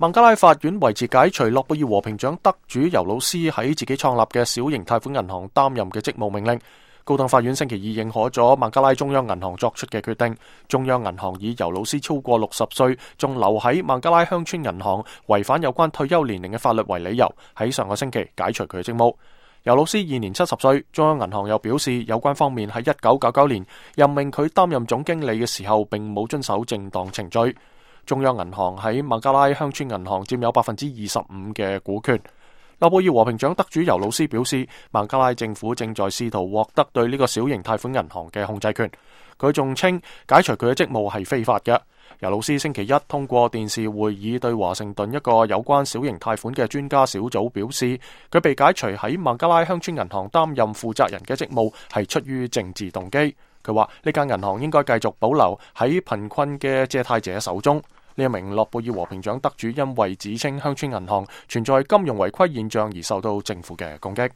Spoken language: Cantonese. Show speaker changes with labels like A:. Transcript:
A: 孟加拉法院維持解除諾貝爾和平獎得主尤魯斯喺自己創立嘅小型貸款銀行擔任嘅職務命令。高等法院星期二認可咗孟加拉中央銀行作出嘅決定。中央銀行以尤魯斯超過60歲，仲留喺孟加拉鄉村銀行，違反有關退休年齡嘅法律為理由，喺上個星期解除佢嘅職務。尤魯斯現年70歲，中央銀行又表示有關方面喺1999年任命佢擔任總經理嘅時候，並冇遵守正當程序。中央銀行喺孟加拉鄉村銀行佔有25%嘅股權。諾貝爾和平獎得主尤魯斯表示，孟加拉政府正在試圖獲得對呢個小型貸款銀行嘅控制權。佢仲稱解除佢嘅職務係非法嘅。尤魯斯星期一通過電視會議對華盛頓一個有關小型貸款嘅專家小組表示，佢被解除喺孟加拉鄉村銀行擔任負責人嘅職務係出於政治動機。佢話呢間銀行應該繼續保留喺貧困嘅借貸者手中。呢一名諾貝爾和平獎得主因為指稱鄉村銀行存在金融違規現象而受到政府嘅攻擊。